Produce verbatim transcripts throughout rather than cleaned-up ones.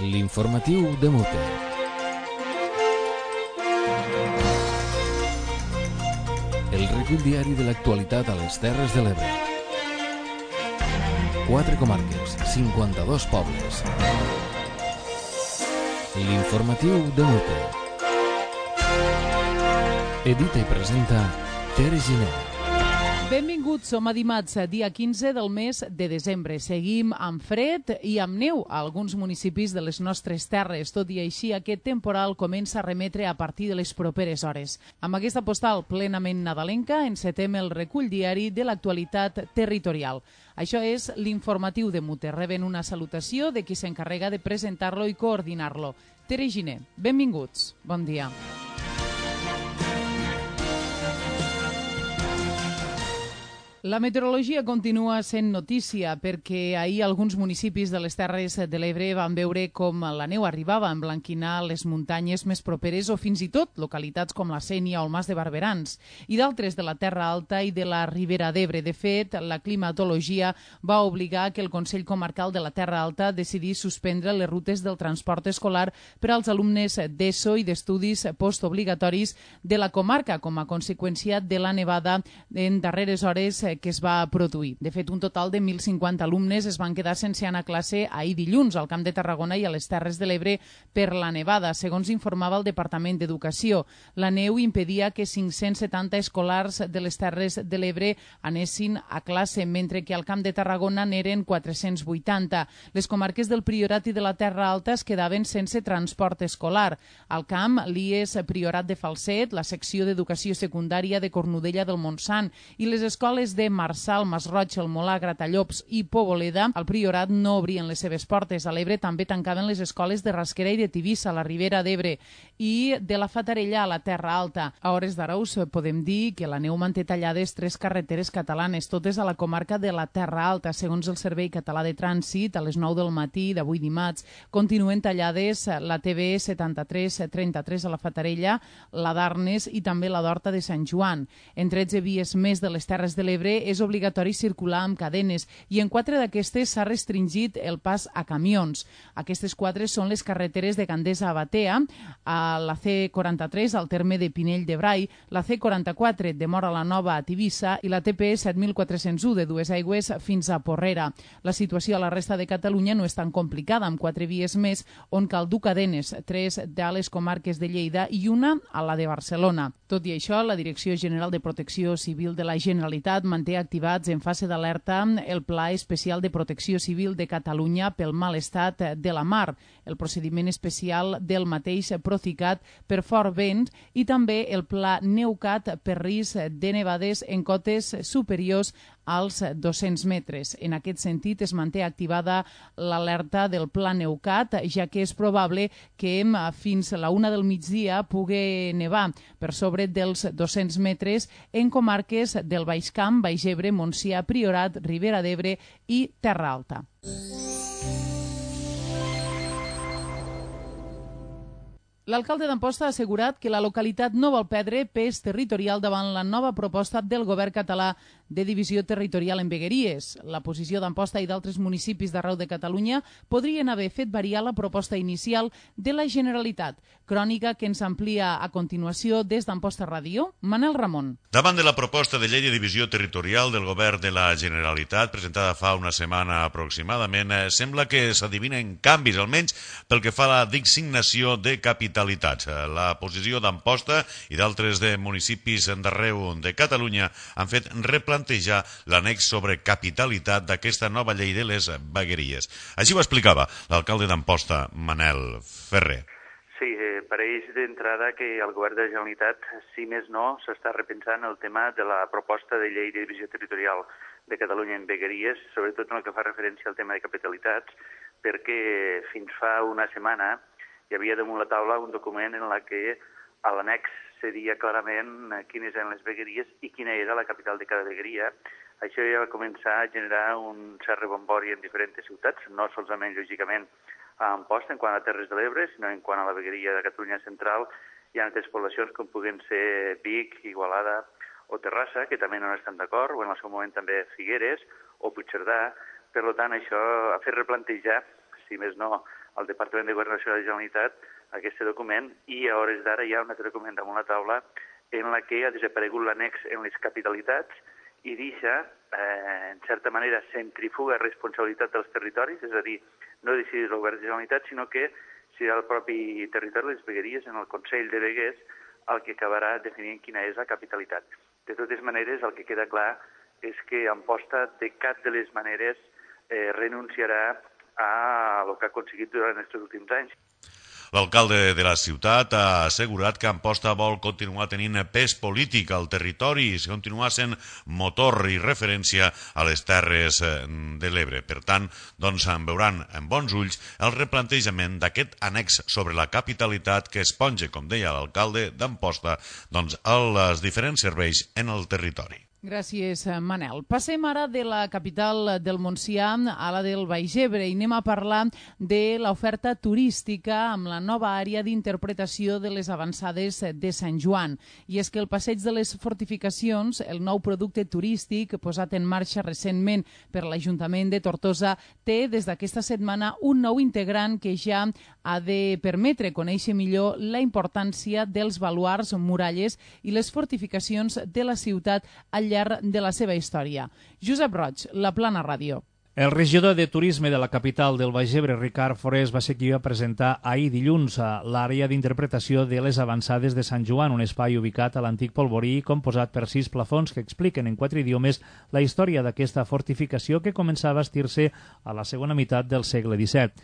L'informatiu de Mute. El recull diari de l'actualitat a les Terres de l'Ebre. Quatre comarques, cinquanta-dos pobles. L'informatiu de Mute. Edita i presenta Tere Giner. Benvinguts, som a dimarts, dia quinze del mes de desembre. Seguim amb fred i amb neu a alguns municipis de les nostres terres. Tot i així, aquest temporal comença a remetre a partir de les properes hores. Amb aquesta postal plenament nadalenca, encetem el recull diari de l'actualitat territorial. Això és l'informatiu de Mute. Reben una salutació de qui s'encarrega de presentar-lo i coordinar-lo. Tere Giner, benvinguts. Bon dia. La meteorologia continua sent notícia perquè ahir alguns municipis de les Terres de l'Ebre van veure com la neu arribava a emblanquinar les muntanyes més properes o fins i tot localitats com la Sénia o el Mas de Barberans i d'altres de la Terra Alta i de la Ribera d'Ebre. De fet, la climatologia va obligar que el Consell Comarcal de la Terra Alta decidís suspendre les rutes del transport escolar per als alumnes d'ESO i d'estudis postobligatoris de la comarca com a conseqüència de la nevada en darreres hores que es va produir. De fet, un total de mil cinquanta alumnes es van quedar sense anar a classe ahir dilluns al Camp de Tarragona i a les Terres de l'Ebre per la nevada, segons informava el Departament d'Educació. La neu impedia que cinc-cents setanta escolars de les Terres de l'Ebre anessin a classe, mentre que al Camp de Tarragona n'eren quatre-cents vuitanta. Les comarques del Priorat i de la Terra Alta es quedaven sense transport escolar. Al Camp, l'I E S Priorat de Falset, la secció d'Educació Secundària de Cornudella del Montsant i les escoles de de Marçal, Masroig, el Molà, Gratallops i Poboleda, al Priorat no obrien les seves portes. A l'Ebre també tancaven les escoles de Rasquera i de Tivissa, a la Ribera d'Ebre, i de la Fatarella a la Terra Alta. A hores d'ara us podem dir que la neu manté tallades tres carreteres catalanes, totes a la comarca de la Terra Alta. Segons el Servei Català de Trànsit, a les nou del matí d'avui dimarts, continuen tallades la T B setanta-tres trenta-tres a la Fatarella, la d'Arnes i també la d'Horta de Sant Joan. En tretze vies més de les Terres de l'Ebre és obligatori circular amb cadenes i en quatre d'aquestes s'ha restringit el pas a camions. Aquestes quatre són les carreteres de Gandesa a Batea, a la C quaranta-tres al terme de Pinell de Brai, la C quaranta-quatre de Móra la Nova a Tivissa i la T P set mil quatre-cents u de Duesaigües fins a Porrera. La situació a la resta de Catalunya no és tan complicada, amb quatre vies més on cal dur cadenes, tres de les comarques de Lleida i una a la de Barcelona. Tot i això, la Direcció General de Protecció Civil de la Generalitat manté activats en fase d'alerta el Pla Especial de Protecció Civil de Catalunya pel mal estat de la mar, el procediment especial del mateix Procicat per fort vent i també el Pla Neucat per risc de nevades en cotes superiors als dos-cents metres. En aquest sentit, es manté activada l'alerta del Pla Neucat, ja que és probable que fins a la una del migdia pugui nevar per sobre dels dos-cents metres en comarques del Baix Camp, Baix Ebre, Montsià, Priorat, Ribera d'Ebre i Terra Alta. L'alcalde d'Amposta ha assegurat que la localitat no vol perdre pes territorial davant la nova proposta del govern català de divisió territorial en vegueries. La posició d'Amposta i d'altres municipis d'arreu de Catalunya podrien haver fet variar la proposta inicial de la Generalitat. Crònica que ens amplia a continuació des d'Amposta Ràdio, Manel Ramon. Davant de la proposta de llei de divisió territorial del govern de la Generalitat, presentada fa una setmana aproximadament, sembla que s'adivinen canvis, almenys pel que fa a la designació de capitalitats. La posició d'Amposta i d'altres de municipis d'arreu de Catalunya han fet replantejar l'annex sobre capitalitat d'aquesta nova llei de les vegueries. Així ho explicava l'alcalde d'Amposta, Manel Ferrer. Sí, eh, pareix d'entrada que el govern de la Generalitat, si més no, s'està repensant el tema de la proposta de llei de divisió territorial de Catalunya en vegueries, sobretot en el que fa referència al tema de capitalitats, perquè fins fa una setmana hi havia damunt la taula un document en la que a l'annex se dia clarament quines eren les vegueries i quina era la capital de cada vegueria. Això ja va començar a generar un cert rebombori en diferents ciutats, no solament, lògicament, a Amposta, en quant a Terres de l'Ebre, sinó en quant a la vegueria de Catalunya Central. Hi ha altres poblacions com puguen ser Vic, Igualada o Terrassa, que també no estan d'acord, o en el seu moment també Figueres o Puigcerdà. Per tant, això ha fet replantejar si més no, al Departament de Governació de la Generalitat aquest document, i a hores d'ara hi ha un altre document damunt la taula en la que ha desaparegut l'annex en les capitalitats i deixa, eh, en certa manera, centrifuga responsabilitat dels territoris, és a dir, no decidir el govern de la Generalitat, sinó que serà el propi territori, les vegueries, en el Consell de Veguers, el que acabarà definint quina és la capitalitat. De totes maneres, el que queda clar és que Amposta de cap de les maneres eh, renunciarà a el que ha aconseguit durant aquests últims anys. L'alcalde de la ciutat ha assegurat que Amposta vol continuar tenint pes polític al territori i continuar sent motor i referència a les Terres de l'Ebre. Per tant, doncs, en veuran en bons ulls el replantejament d'aquest annex sobre la capitalitat que esponja, com deia l'alcalde d'Amposta, doncs, els diferents serveis en el territori. Gràcies, Manel. Passem ara de la capital del Montsià a la del Baix Ebre i anem a parlar de l'oferta turística amb la nova àrea d'interpretació de les avançades de Sant Joan. I és que el Passeig de les Fortificacions, el nou producte turístic posat en marxa recentment per l'Ajuntament de Tortosa, té des d'aquesta setmana un nou integrant que ja ha de permetre conèixer millor la importància dels baluards, muralles i les fortificacions de la ciutat al llarg de la seva història. Josep Roig, La Plana Ràdio. El regidor de Turisme de la capital del Baix Ebre, Ricard Forés, va ser qui va presentar ahir dilluns a l'àrea d'interpretació de les avançades de Sant Joan, un espai ubicat a l'antic Polvorí i composat per sis plafons que expliquen en quatre idiomes la història d'aquesta fortificació que començava a bastir-se a la segona meitat del segle disset.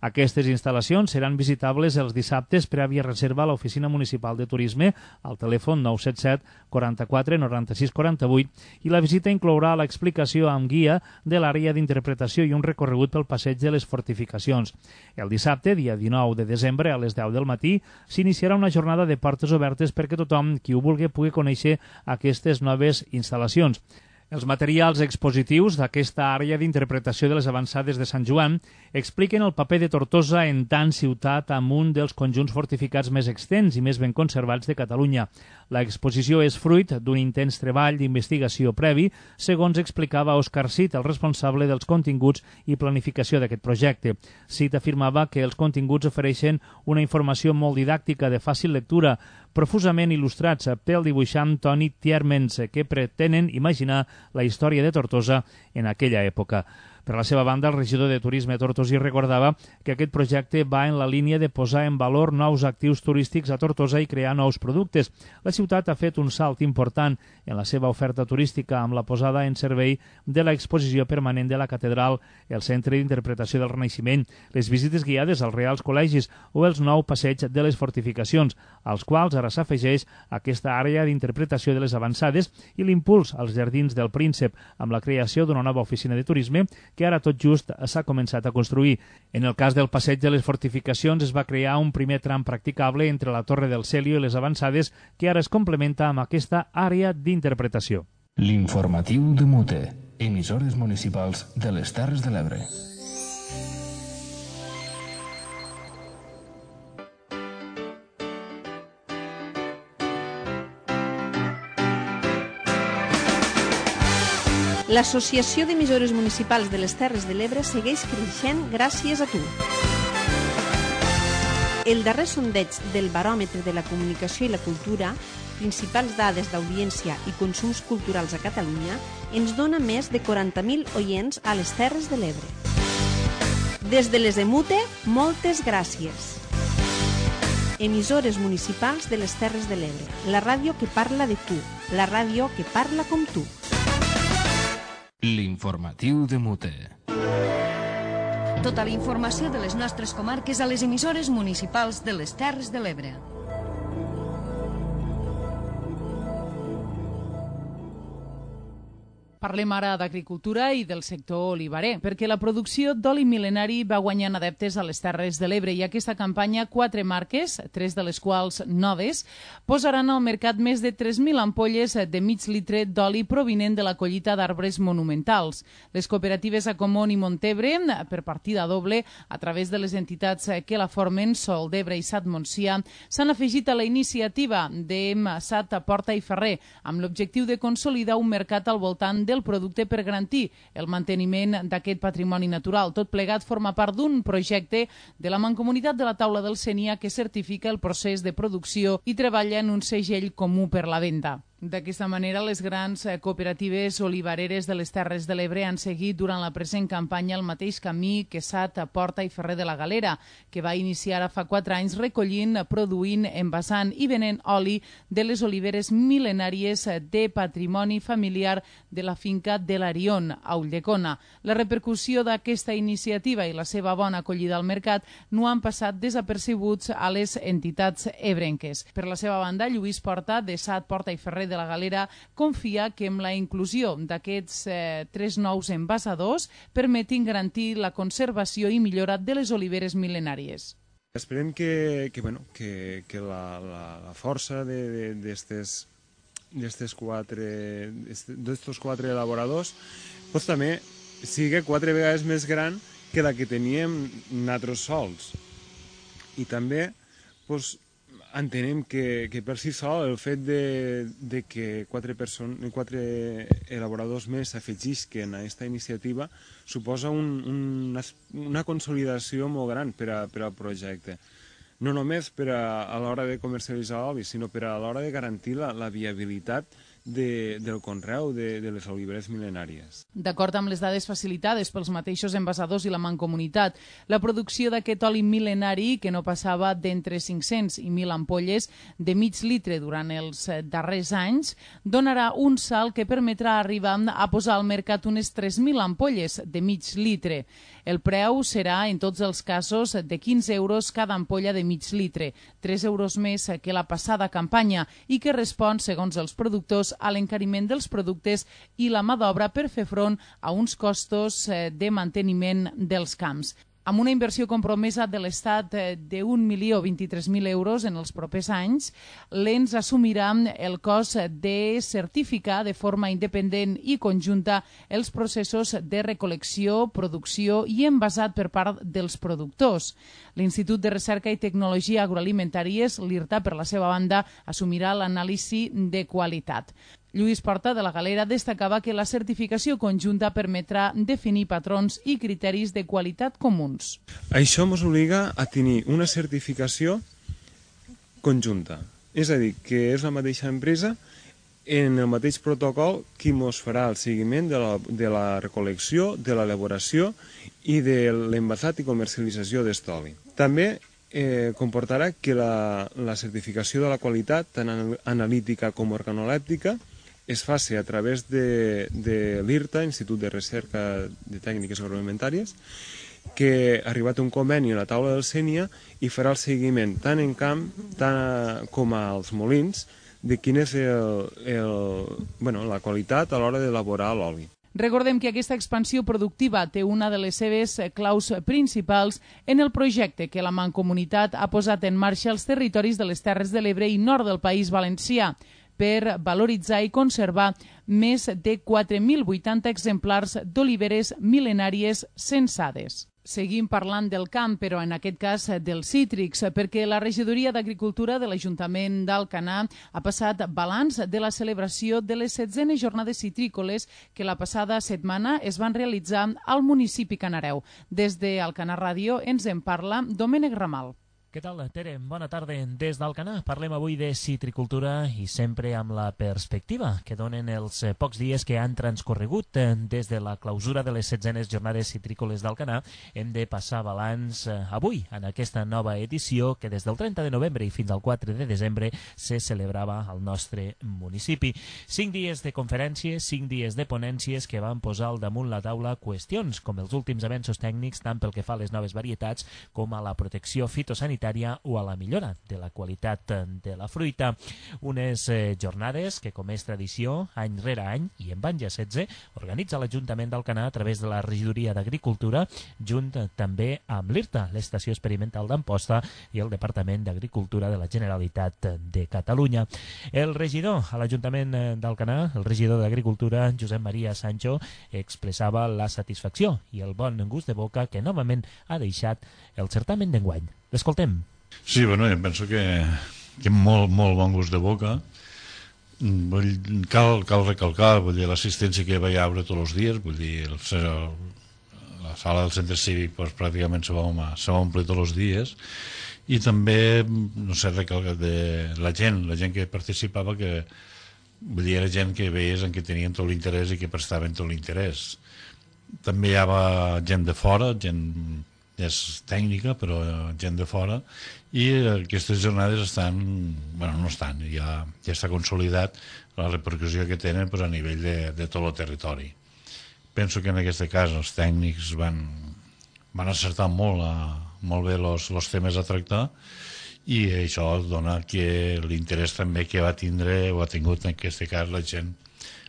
Aquestes instal·lacions seran visitables els dissabtes prèvia reserva a l'Oficina Municipal de Turisme al telèfon nou set set quaranta-quatre noranta-sis quaranta-vuit i la visita inclourà l'explicació amb guia de l'àrea d'interpretació i un recorregut pel passeig de les fortificacions. El dissabte, dia dinou de desembre, a les deu del matí, s'iniciarà una jornada de portes obertes perquè tothom qui ho vulgui pugui conèixer aquestes noves instal·lacions. Els materials expositius d'aquesta àrea d'interpretació de les avançades de Sant Joan expliquen el paper de Tortosa en tant ciutat amb un dels conjunts fortificats més extens i més ben conservats de Catalunya. L'exposició és fruit d'un intens treball d'investigació previ, segons explicava Òscar Cid, el responsable dels continguts i planificació d'aquest projecte. Cid afirmava que els continguts ofereixen una informació molt didàctica de fàcil lectura, profusament il·lustrats pel dibuixant Toni Tiermens, que pretenen imaginar la història de Tortosa en aquella època. Per la seva banda, el regidor de Turisme tortosí recordava que aquest projecte va en la línia de posar en valor nous actius turístics a Tortosa i crear nous productes. La ciutat ha fet un salt important en la seva oferta turística amb la posada en servei de l'exposició permanent de la catedral, el Centre d'Interpretació del Renaixement, les visites guiades als Reals Col·legis o els nou passeig de les fortificacions, als quals ara s'afegeix aquesta àrea d'interpretació de les avançades i l'impuls als Jardins del Príncep amb la creació d'una nova oficina de turisme que ara tot just s'ha començat a construir. En el cas del passeig de les fortificacions es va crear un primer tram practicable entre la Torre del Celio i les avançades que ara es complementa amb aquesta àrea d'interpretació. L'informatiu de Mute, emissores municipals de les Terres de l'Ebre. L'Associació d'Emissores Municipals de les Terres de l'Ebre segueix creixent gràcies a tu. El darrer sondeig del Baròmetre de la Comunicació i la Cultura, principals dades d'audiència i consums culturals a Catalunya, ens dona més de quaranta mil oients a les Terres de l'Ebre. Des de les Emute, moltes gràcies. Emissores municipals de les Terres de l'Ebre, la ràdio que parla de tu, la ràdio que parla com tu. L'informatiu de Mute. Tota la informació de les nostres comarques a les emissores municipals de les Terres de l'Ebre. Parlem ara d'agricultura i del sector olivarer, perquè la producció d'oli mil·lenari va guanyant adeptes a les Terres de l'Ebre i aquesta campanya quatre marques, tres de les quals noves, posaran al mercat més de tres mil ampolles de mig litre d'oli provinent de la collita d'arbres monumentals. Les cooperatives Acomon i Montebre, per partida doble, a través de les entitats que la formen, Sol d'Ebre i Sat Montsià, s'han afegit a la iniciativa de Sat Porta i Ferrer, amb l'objectiu de consolidar un mercat al voltant del del producte per garantir el manteniment d'aquest patrimoni natural. Tot plegat forma part d'un projecte de la Mancomunitat de la Taula del Sénia que certifica el procés de producció i treballa en un segell comú per la venda. D'aquesta manera, les grans cooperatives olivareres de les Terres de l'Ebre han seguit durant la present campanya el mateix camí que Sat, Porta i Ferrer de la Galera, que va iniciar fa quatre anys recollint, produint, envasant i venent oli de les oliveres mil·lenàries de patrimoni familiar de la finca de l'Arion, a Ulldecona. La repercussió d'aquesta iniciativa i la seva bona acollida al mercat no han passat desapercebuts a les entitats ebrenques. Per la seva banda, Lluís Porta, de Sat, Porta i Ferrer de la Galera, confia que amb la inclusió d'aquests eh, tres nous envasadors permetin garantir la conservació i millora de les oliveres mil·lenàries. Esperem que, que, bueno, que, que la, la, la força d'aquestes quatre, d'estos quatre elaboradors pues, també sigui quatre vegades més gran que la que teníem nosaltres sols. I també pues, entenem que, que per si sol el fet de, de que quatre, person, quatre elaboradors més s'afegisquen a aquesta iniciativa suposa un, un, una consolidació molt gran per, a, per al projecte. No només per a, a l'hora de comercialitzar l'oli, sinó per a l'hora de garantir la, la viabilitat de, del conreu de, de les oliveres mil·lenàries. D'acord amb les dades facilitades pels mateixos envasadors i la Mancomunitat, la producció d'aquest oli mil·lenari, que no passava d'entre cinc-cents i mil ampolles de mig litre durant els darrers anys, donarà un salt que permetrà arribar a posar al mercat unes tres mil ampolles de mig litre. El preu serà, en tots els casos, de quinze euros cada ampolla de mig litre, tres euros més que la passada campanya i que respon, segons els productors, a l'encariment dels productes i la mà d'obra per fer front a uns costos de manteniment dels camps. Amb una inversió compromesa de l'Estat d'un milió vint-i-tres mil euros en els propers anys, l'Ens assumirà el cost de certificar de forma independent i conjunta els processos de recol·lecció, producció i envasat per part dels productors. L'Institut de Recerca i Tecnologia Agroalimentàries, l'IRTA, per la seva banda, assumirà l'anàlisi de qualitat. Lluís Porta, de la Galera, destacava que la certificació conjunta permetrà definir patrons i criteris de qualitat comuns. Això ens obliga a tenir una certificació conjunta, és a dir, que és la mateixa empresa en el mateix protocol qui ens farà el seguiment de la, de la recol·lecció, de l'elaboració i de l'envasat i comercialització d'estoli. També eh, comportarà que la, la certificació de la qualitat, tant analítica com organolèptica, es faci a través de, de l'IRTA, Institut de Recerca de Tècniques Agroalimentàries, que ha arribat un conveni a la taula del Sénia i farà el seguiment tant en camp tant com als molins de quina és el, el, bueno, la qualitat a l'hora d'elaborar l'oli. Recordem que aquesta expansió productiva té una de les seves claus principals en el projecte que la Mancomunitat ha posat en marxa als territoris de les Terres de l'Ebre i nord del País Valencià per valoritzar i conservar més de quatre mil vuitanta exemplars d'oliveres mil·lenàries censades. Seguim parlant del camp, però en aquest cas dels cítrics, perquè la Regidoria d'Agricultura de l'Ajuntament d'Alcanar ha passat balanç de la celebració de les setzenes jornades citrícoles que la passada setmana es van realitzar al municipi canareu. Des d'Alcanar Ràdio ens en parla Domènec Ramal. Què tal, Tere? Bona tarda. Des d'Alcanar parlem avui de citricultura i sempre amb la perspectiva que donen els pocs dies que han transcorregut des de la clausura de les setzenes jornades citrícoles d'Alcanar. Hem de passar balanç avui en aquesta nova edició que des del trenta de novembre i fins al quatre de desembre se celebrava al nostre municipi. Cinc dies de conferències, cinc dies de ponències que van posar al damunt la taula qüestions com els últims avenços tècnics tant pel que fa a les noves varietats com a la protecció fitosanitària o a la millora de la qualitat de la fruita. Unes eh, jornades que, com és tradició, any rere any, i en van ja setze, organitza l'Ajuntament d'Alcanar a través de la Regidoria d'Agricultura, junt també amb l'IRTA, l'Estació Experimental d'Amposta, i el Departament d'Agricultura de la Generalitat de Catalunya. El regidor a l'Ajuntament d'Alcanar, el regidor d'Agricultura, Josep Maria Sancho, expressava la satisfacció i el bon gust de boca que novament ha deixat el certamen d'enguany. L'escoltem. Sí, bueno, jo penso que, que molt, molt bon gust de boca Cal, cal recalcar, vull dir, l'assistència que hi haurà tots els dies, vull dir, el, la sala del centre cívic pues, pràcticament se va, se va omplir tots els dies, i també, no sé, recalcar de la gent, la gent que participava, que vull dir, era gent que veies en què tenien tot l'interès i que prestaven tot l'interès. També hi havia gent de fora, gent és tècnica, però gent de fora, i aquestes jornades estan, bueno, no estan, ja, ja està consolidat la repercussió que tenen pues, a nivell de, de tot el territori. Penso que en aquest cas els tècnics van, van acertar molt, a, molt bé els temes a tractar, i això dona que l'interès també que va tindre o ha tingut en aquest cas la gent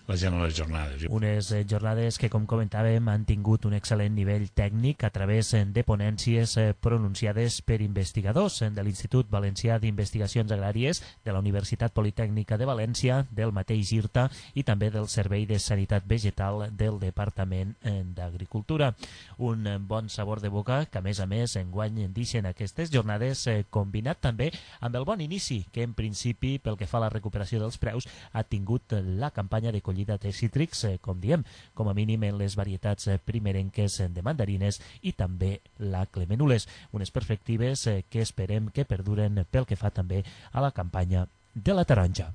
la gent a les jornades. Unes jornades que, com comentàvem, han tingut un excel·lent nivell tècnic a través de ponències pronunciades per investigadors de l'Institut Valencià d'Investigacions Agràries, de la Universitat Politècnica de València, del mateix IRTA i també del Servei de Sanitat Vegetal del Departament d'Agricultura. Un bon sabor de boca que, a més a més, enguany deixen aquestes jornades, combinat també amb el bon inici que, en principi, pel que fa a la recuperació dels preus, ha tingut la campanya de collita de cítrics, com diem, com a mínim en les varietats primerenques de mandarines i també la clemenules. Unes perspectives que esperem que perduren pel que fa també a la campanya de la taronja.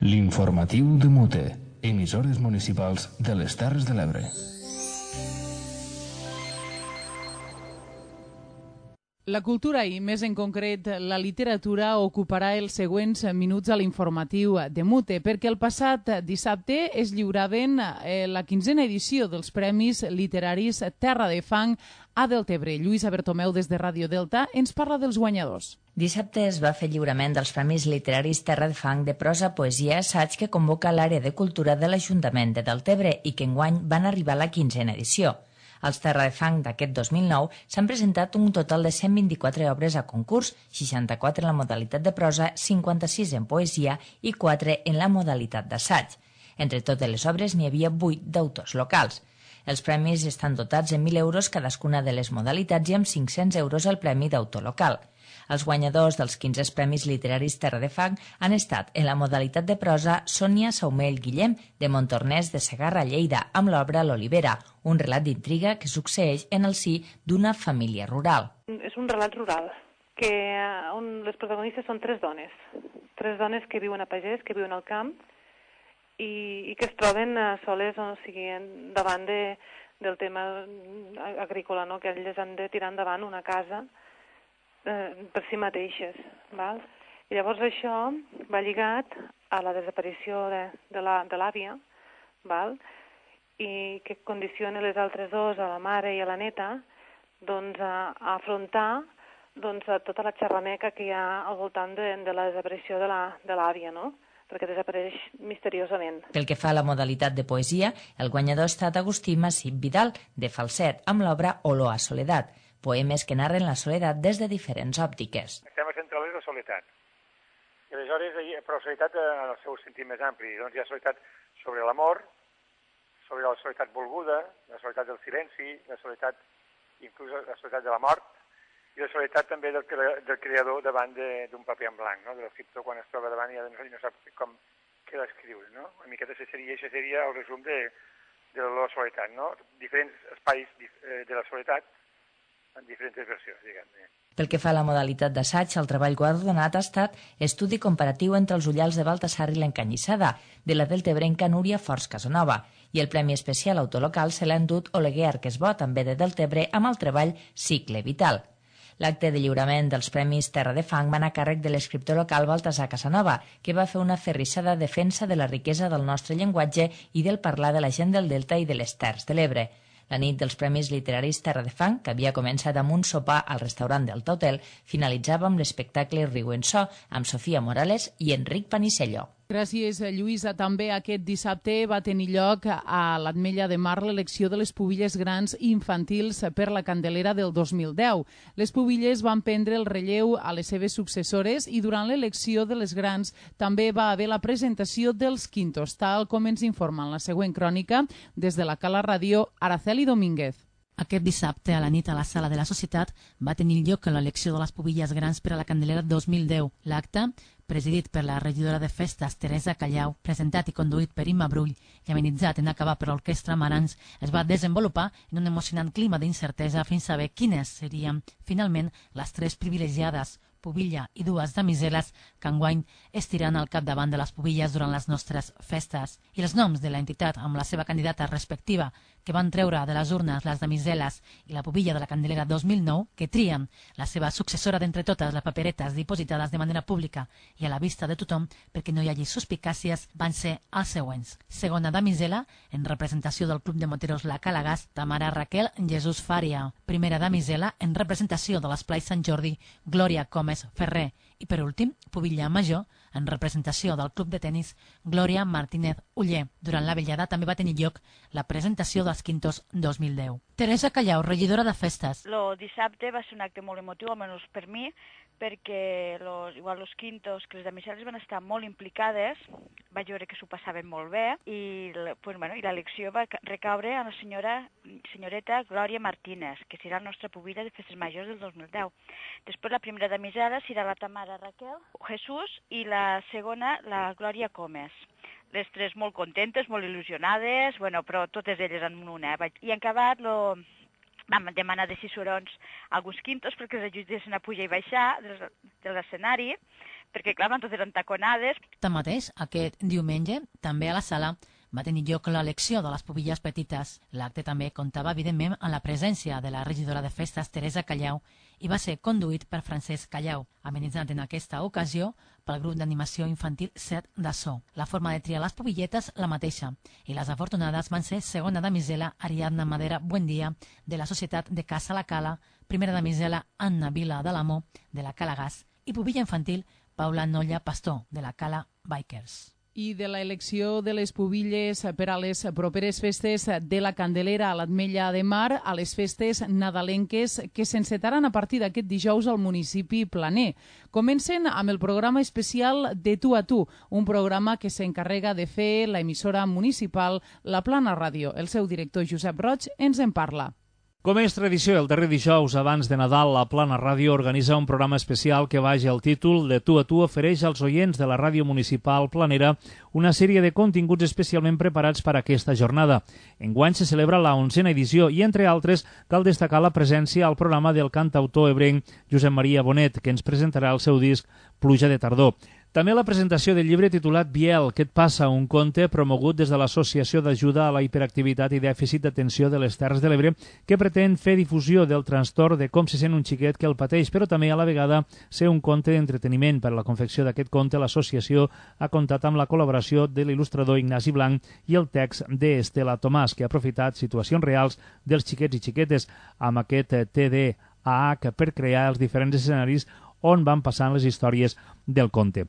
L'informatiu de Mute, emissores municipals de les Terres de l'Ebre. La cultura i, més en concret, la literatura ocuparà els següents minuts a l'informatiu de Mute, perquè el passat dissabte es lliuraven eh, la quinzena edició dels Premis Literaris Terra de Fang a Deltebre. Lluïsa Bertomeu, des de Ràdio Delta, ens parla dels guanyadors. Dissabte es va fer lliurament dels Premis Literaris Terra de Fang de prosa, poesia i assaig que convoca l'àrea de cultura de l'Ajuntament de Deltebre i que enguany van arribar a la quinzena edició. Als Terra de Fang d'aquest dos mil nou s'han presentat un total de cent vint-i-quatre obres a concurs, seixanta-quatre en la modalitat de prosa, cinquanta-sis en poesia i quatre en la modalitat d'assaig. Entre totes les obres n'hi havia vuit d'autors locals. Els premis estan dotats en mil euros cadascuna de les modalitats i amb cinc-cents euros el premi d'autor local. Els guanyadors dels quinze Premis Literaris Terra de Fang han estat, en la modalitat de prosa, Sònia Saumell Guillem, de Montornès de Segarra, Lleida, amb l'obra L'Olivera, un relat d'intriga que succeeix en el si d'una família rural. És un relat rural, que on les protagonistes són tres dones, tres dones que viuen a pagès, que viuen al camp, i, i que es troben soles, o sigui, davant de, del tema agrícola, no? Que elles han de tirar endavant una casa per si mateixes, val? I llavors això va lligat a la desaparició de, de l'àvia, val? I que condiciona les altres dos, a la mare i a la neta, doncs a, a afrontar doncs, a tota la xerrameca que hi ha al voltant de, de la desaparició de l'àvia, no? Perquè desapareix misteriosament. Pel que fa a la modalitat de poesia, el guanyador ha estat Agustí Massip Vidal, de Falset, amb l'obra Olor a soledat, poemes que narren la soledat des de diferents òptiques. El tema central és la soledat. I aleshores, però la soledat en el seu sentit més ampli. Doncs hi ha soledat sobre l'amor, sobre la soledat volguda, la soledat del silenci, la soledat, inclús la soledat de la mort, i la soledat també del, del creador davant d'un paper en blanc, no? De l'escriptor quan es troba davant i ja no sap com què l'escriure, no? Una miqueta seria, això seria el resum de, de la soledat, no? Diferents espais de la soledat en diferents versions, diguem-ne. Pel que fa a la modalitat d'assaig, el treball guardonat ha estat estudi comparatiu entre els ullals de Baltasar i l'Encanyissada, de la deltebrenca Núria Forç Casanova, i el Premi Especial Autolocal se l'ha endut Oleguer Arquesbó, també de Deltebre, amb el treball Cicle Vital. L'acte de lliurament dels Premis Terra de Fang va anar a càrrec de l'escriptor local Baltasar Casanova, que va fer una aferrissada defensa de la riquesa del nostre llenguatge i del parlar de la gent del Delta i de les Terres de l'Ebre. La nit dels Premis Literaris Terra de Fang, que havia començat amb un sopar al restaurant del Hotel, finalitzava amb l'espectacle Riu en So, amb Sofia Morales i Enric Panicello. Gràcies, Lluïsa. També aquest dissabte va tenir lloc a l'Ametlla de Mar l'elecció de les pubilles grans infantils per la Candelera del dos mil deu. Les pubilles van prendre el relleu a les seves successores i durant l'elecció de les grans també va haver la presentació dels quintos, tal com ens informa en la següent crònica des de la Cala Ràdio Araceli Domínguez. Aquest dissabte, a la nit, a la Sala de la Societat, va tenir lloc l'elecció de les pubilles grans per a la Candelera dos mil deu. L'acte, presidit per la regidora de festes, Teresa Callau, presentat i conduït per Imma Brull i amenitzat en acabar per l'Orquestra Marans, es va desenvolupar en un emocionant clima d'incertesa fins a saber quines serien, finalment, les tres privilegiades, pubilla i dues damiseles que enguany estiran al capdavant de les pubilles durant les nostres festes. I els noms de l'entitat amb la seva candidata respectiva que van treure de les urnes les damiseles i la pubilla de la Candelera dos mil nou, que trien la seva successora d'entre totes les paperetes dipositades de manera pública i a la vista de tothom perquè no hi hagi suspicàcies, van ser els següents. Segona damisela, en representació del Club de Moteros La Calagàs, Tamara Raquel Jesús Fària. Primera damisela, en representació de l'Esplai Sant Jordi, Glòria Comes Ferrer. I per últim, pubilla major, en representació del Club de Tenis, Glòria Martínez Uller. Durant la vetllada també va tenir lloc la presentació dels Quintos dos mil deu. Teresa Callau, regidora de festes. El dissabte va ser un acte molt emotiu, almenys per mi, perquè los, igual los Quintos, que les damiseles van estar molt implicades, vaig veure que s'ho passaven molt bé, i, pues, bueno, i l'elecció va recaure a la senyora, senyoreta Glòria Martínez, que serà la nostra pubilla de festes majors del dos mil deu. Després la primera damisela serà la Tamara Raquel Jesús i la segona la Glòria Comes. Les tres molt contentes, molt il·lusionades, bueno, però totes elles en una. Eh? I en acabat lo... vam demanar de cicerons a alguns Quintos perquè els ajudessin a pujar i baixar de l'escenari, perquè clar, van totes entaconades. Tanmateix, aquest diumenge, també a la sala, va tenir lloc l'elecció de les pubilles petites. L'acte també comptava, evidentment, amb la presència de la regidora de festes, Teresa Callau, i va ser conduït per Francesc Callau, amenitzat en aquesta ocasió pel grup d'animació infantil Set de So. La forma de triar les pubilletes la mateixa, i les afortunades van ser segona damisela Ariadna Madera Buendia, de la Societat de Casa La Cala, primera damisela Anna Vila de l'Amor, de la Calagàs, i pubilla infantil Paula Nolla Pastor, de la Cala Bikers. I de l'elecció de les pubilles per a les properes festes de la Candelera a l'Ametlla de Mar a les festes nadalenques que s'encetaran a partir d'aquest dijous al municipi planer. Comencen amb el programa especial de Tu a Tu, un programa que s'encarrega de fer l'emissora municipal La Plana Ràdio. El seu director Josep Roig ens en parla. Com és tradició, el darrer dijous abans de Nadal, la Plana Ràdio organitza un programa especial que baix el títol de Tu a Tu ofereix als oients de la ràdio municipal planera una sèrie de continguts especialment preparats per a aquesta jornada. Enguany se celebra la onzena edició i, entre altres, cal destacar la presència al programa del cantautor ebrenc Josep Maria Bonet, que ens presentarà el seu disc Pluja de tardor. També la presentació del llibre titulat Biel, què et passa? Un conte promogut des de l'Associació d'Ajuda a la Hiperactivitat i Dèficit d'Atenció de les Terres de l'Ebre, que pretén fer difusió del trastorn de com se sent un xiquet que el pateix, però també a la vegada ser un conte d'entreteniment. Per a la confecció d'aquest conte, l'associació ha comptat amb la col·laboració de l'il·lustrador Ignasi Blanc i el text d'Estela Tomàs, que ha aprofitat situacions reals dels xiquets i xiquetes amb aquest T D A H per crear els diferents escenaris on van passant les històries del conte.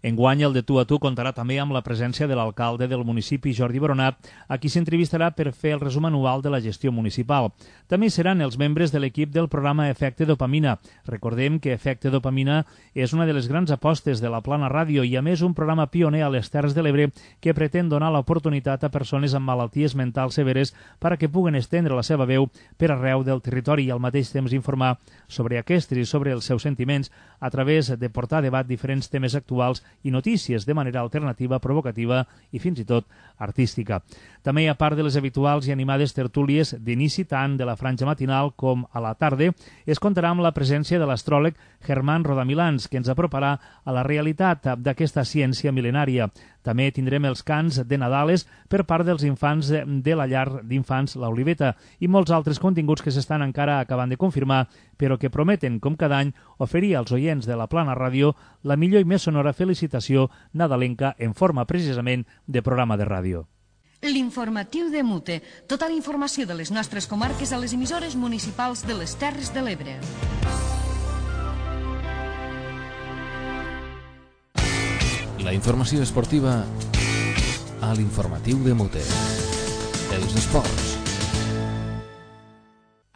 Enguany, el de Tu a Tu contarà també amb la presència de l'alcalde del municipi, Jordi Boronat, a qui s'entrevistarà per fer el resum anual de la gestió municipal. També seran els membres de l'equip del programa Efecte Dopamina. Recordem que Efecte Dopamina és una de les grans apostes de la Plana Ràdio i, a més, un programa pioner a les Terres de l'Ebre que pretén donar l'oportunitat a persones amb malalties mentals severes perquè puguen estendre la seva veu per arreu del territori i al mateix temps informar sobre aquests i sobre els seus sentiments a través de portar a debat diferents temes actuals i notícies de manera alternativa, provocativa i fins i tot artística. També, a part de les habituals i animades tertúlies d'inici tant de la franja matinal com a la tarda, es comptarà amb la presència de l'astròleg Germán Rodamilans, que ens aproparà a la realitat d'aquesta ciència mil·lenària. També tindrem els cants de Nadales per part dels infants de la llar d'infants La Oliveta i molts altres continguts que s'estan encara acabant de confirmar, però que prometen, com cada any, oferir als oients de la Plana Ràdio la millor i més sonora felicitació nadalenca en forma precisament de programa de ràdio. L'informatiu de Mute. Tota la informació de les nostres comarques a les emissores municipals de les Terres de l'Ebre. La informació esportiva a l'informatiu de Mute. Els esports.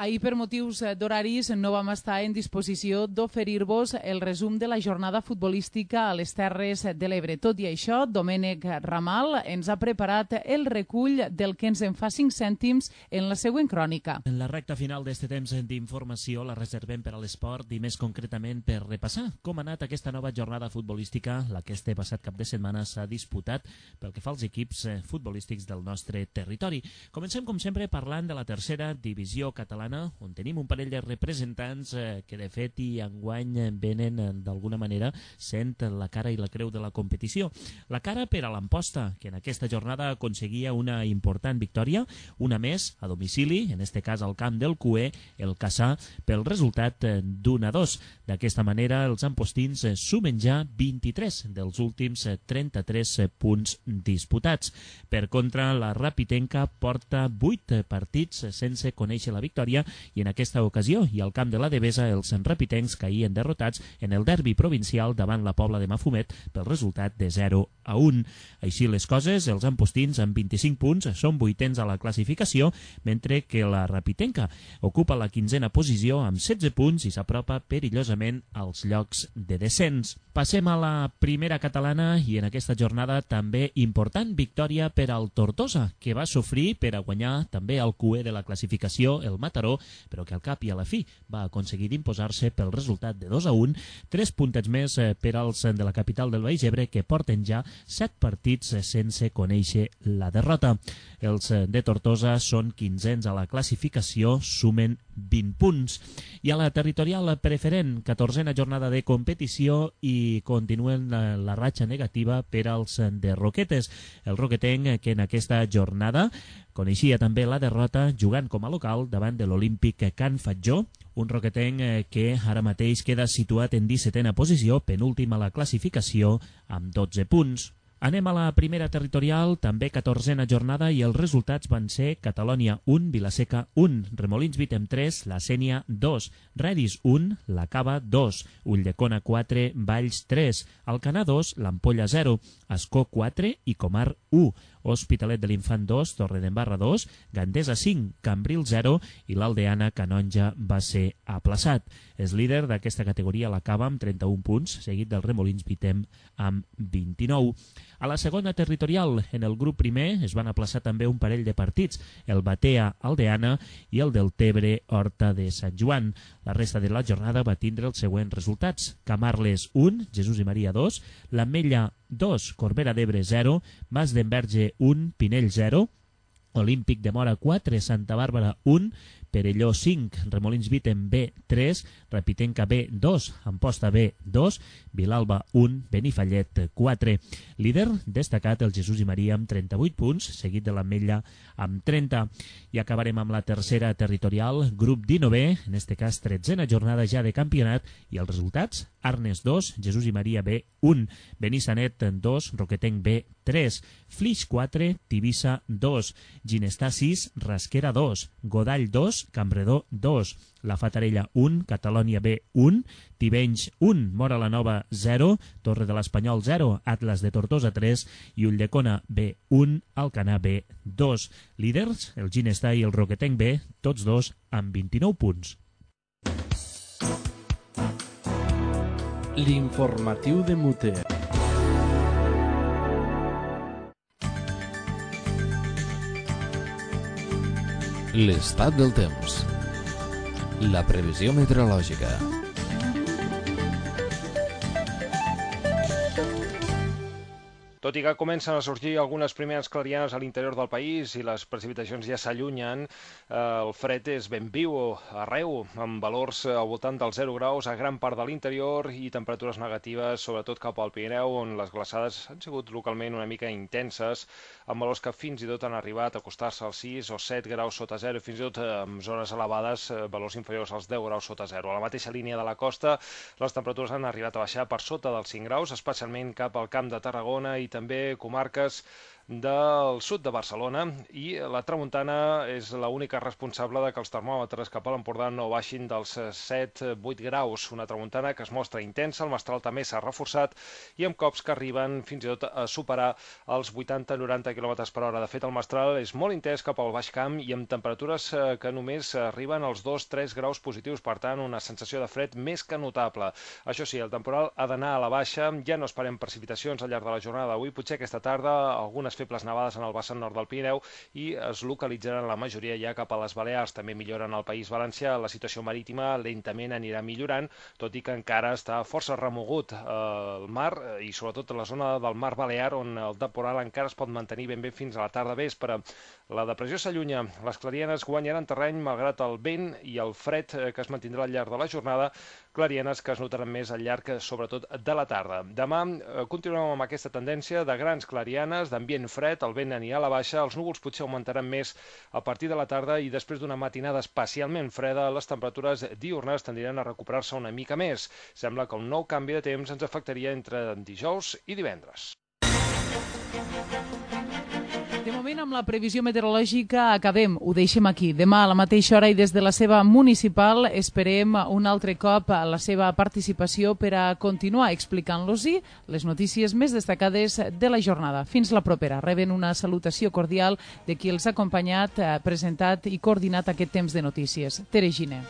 Ahir, per motius d'horaris, no vam estar en disposició d'oferir-vos el resum de la jornada futbolística a les Terres de l'Ebre. Tot i això, Domènec Ramal ens ha preparat el recull del que ens en fa cinc cèntims en la següent crònica. En la recta final d'este temps d'informació la reservem per a l'esport i més concretament per repassar com ha anat aquesta nova jornada futbolística, la que este passat cap de setmana s'ha disputat pel que fa als equips futbolístics del nostre territori. Comencem, com sempre, parlant de la tercera divisió catalana, on tenim un parell de representants eh, que de fet i enguany venen eh, d'alguna manera sent la cara i la creu de la competició. La cara per a l'Amposta, que en aquesta jornada aconseguia una important victòria, una més a domicili, en este cas al camp del Cué, el Cassà, pel resultat eh, d'un a dos. D'aquesta manera els ampostins eh, sumen ja vint-i-tres dels últims eh, trenta-tres eh, punts disputats. Per contra, la Rapitenca porta vuit eh, partits eh, sense conèixer la victòria i en aquesta ocasió i al camp de la Devesa els enrapitencs caïen derrotats en el derbi provincial davant la Pobla de Mafumet pel resultat de zero a un. Així les coses, els ampostins amb vint-i-cinc punts són vuitens a la classificació, mentre que la Rapitenca ocupa la quinzena posició amb setze punts i s'apropa perillosament als llocs de descens. Passem a la primera catalana i en aquesta jornada també important victòria per al Tortosa, que va sofrir per a guanyar també el Cué de la classificació, el Mataró, però que al cap i a la fi va aconseguir d'imposar-se pel resultat de dos a un, tres puntets més per als de la capital del Baix Ebre, que porten ja set partits sense conèixer la derrota. Els de Tortosa són quinzens a la classificació, sumen vint punts. I a la territorial preferent, catorzena jornada de competició i continuen la, la ratxa negativa per als de Roquetes. El roquetenc que en aquesta jornada coneixia també la derrota jugant com a local davant de l'Olímpic Can Fatjó, un roquetenc que ara mateix queda situat en dissetena posició, penúltima a la classificació amb dotze punts. Anem a la primera territorial, també catorzena jornada, i els resultats van ser Catalònia un, Vilaseca un, Remolins Vitem tres, La Sénia dos, Redis un, La Cava dos, Ulldecona quatre, Valls tres, Alcanar dos, l'Ampolla zero, Ascó quatre i Comar u, Hospitalet de l'Infant dos, Torredembarra dos, Gandesa cinc, Cambril zero i l'Aldeana Canonja va ser aplaçat. És líder d'aquesta categoria la Cava amb trenta-un punts, seguit del Remolins Vitem amb vint-i-nou. A la segona territorial, en el grup primer, es van aplaçar també un parell de partits, el Batea Aldeana i el del Tebre Horta de Sant Joan. La resta de la jornada va tindre els següents resultats. Camarles un, Jesús i Maria dos, l'Ametlla dos, Corbera d'Ebre zero, Mas d'Enverge un, Pinell zero, Olímpic de Mora quatre, Santa Bàrbara un, Perelló cinc, Remolins Vitem B tres, Rapitenca B dos, Amposta B dos, Vilalba un, Benifallet quatre. Líder destacat el Jesús i Maria amb trenta-vuit punts, seguit de l'Ametlla amb trenta. I acabarem amb la tercera territorial, grup dinovè, en este cas tretzena jornada ja de campionat, i els resultats: Arnes dos, Jesús i Maria B un, Benissanet dos, Roquetenc B tres, Flix quatre, Tivissa dos, Ginestà sis, Rasquera dos, Godall dos, Campredó dos, La Fatarella un, Catalònia B un, Tivenys un, Mora la Nova zero, Torre de l'Espanyol zero, Atlas de Tortosa tres i Ulldecona B un, Alcanar B dos. Líders, el Ginestà i el Roquetenc B, tots dos amb vint-i-nou punts. L'informatiu de Mute. L'estat del temps. La previsió meteorològica. Tot i que comencen a sortir algunes primeres clarianes a l'interior del país i les precipitacions ja s'allunyen, el fred és ben viu arreu, amb valors al voltant dels zero graus a gran part de l'interior i temperatures negatives, sobretot cap al Pirineu, on les glaçades han sigut localment una mica intenses, amb valors que fins i tot han arribat a acostar-se als sis o set graus sota zero, fins i tot en zones elevades, valors inferiors als deu graus sota zero. A la mateixa línia de la costa, les temperatures han arribat a baixar per sota dels cinc graus, especialment cap al Camp de Tarragona i també comarques del sud de Barcelona i la tramuntana és l'única responsable de que els termòmetres cap a l'Empordà no baixin dels set a vuit graus. Una tramuntana que es mostra intensa, el mestral també s'ha reforçat i amb cops que arriben fins i tot a superar els vuitanta a noranta quilòmetres per hora. De fet, el mestral és molt intens cap al Baix Camp i amb temperatures que només arriben als dos a tres graus positius, per tant, una sensació de fred més que notable. Això sí, el temporal ha d'anar a la baixa, ja no esperem precipitacions al llarg de la jornada d'avui, potser aquesta tarda algunes febles nevades en el vessant nord del Pirineu i es localitzaran la majoria ja cap a les Balears. També milloren al País Valencià, la situació marítima lentament anirà millorant, tot i que encara està força remogut el mar i sobretot la zona del mar Balear, on el temporal encara es pot mantenir ben bé fins a la tarda vespre. La depressió s'allunya, les clarianes guanyaran terreny malgrat el vent i el fred que es mantindrà al llarg de la jornada, clarianes que es notaran més al llarg, sobretot, de la tarda. Demà eh, continuem amb aquesta tendència de grans clarianes, d'ambient fred, el vent anirà a la baixa, els núvols potser augmentaran més a partir de la tarda i després d'una matinada especialment freda, les temperatures diurnes tendiran a recuperar-se una mica més. Sembla que un nou canvi de temps ens afectaria entre dijous i divendres. De moment, amb la previsió meteorològica acabem, ho deixem aquí. Demà a la mateixa hora i des de la seva municipal esperem un altre cop la seva participació per a continuar explicant-los-hi les notícies més destacades de la jornada. Fins la propera. Reben una salutació cordial de qui els ha acompanyat, presentat i coordinat aquest temps de notícies. Tere Giner.